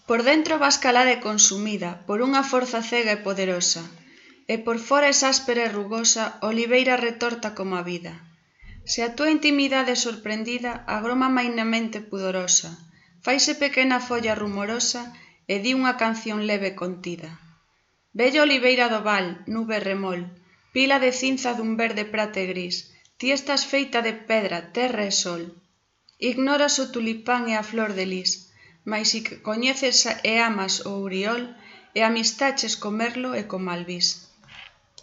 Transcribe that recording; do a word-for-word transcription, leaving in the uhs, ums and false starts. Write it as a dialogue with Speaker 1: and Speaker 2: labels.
Speaker 1: Por dentro vas calada e consumida por unha forza cega e poderosa, e por fora es áspera e rugosa, oliveira retorta como a vida. Se a túa intimidade é sorprendida, agroma mainamente pudorosa, faise pequena folla rumorosa e di unha canción leve e contida. Bella oliveira do val, nube e remol, pila de cinza dun verde prata e gris, ti estás feita de pedra, terra e sol. Ignoras o tulipán e a flor de lis, mais si que coñeces e amas o uriol, e amistaches co merlo e co malvís.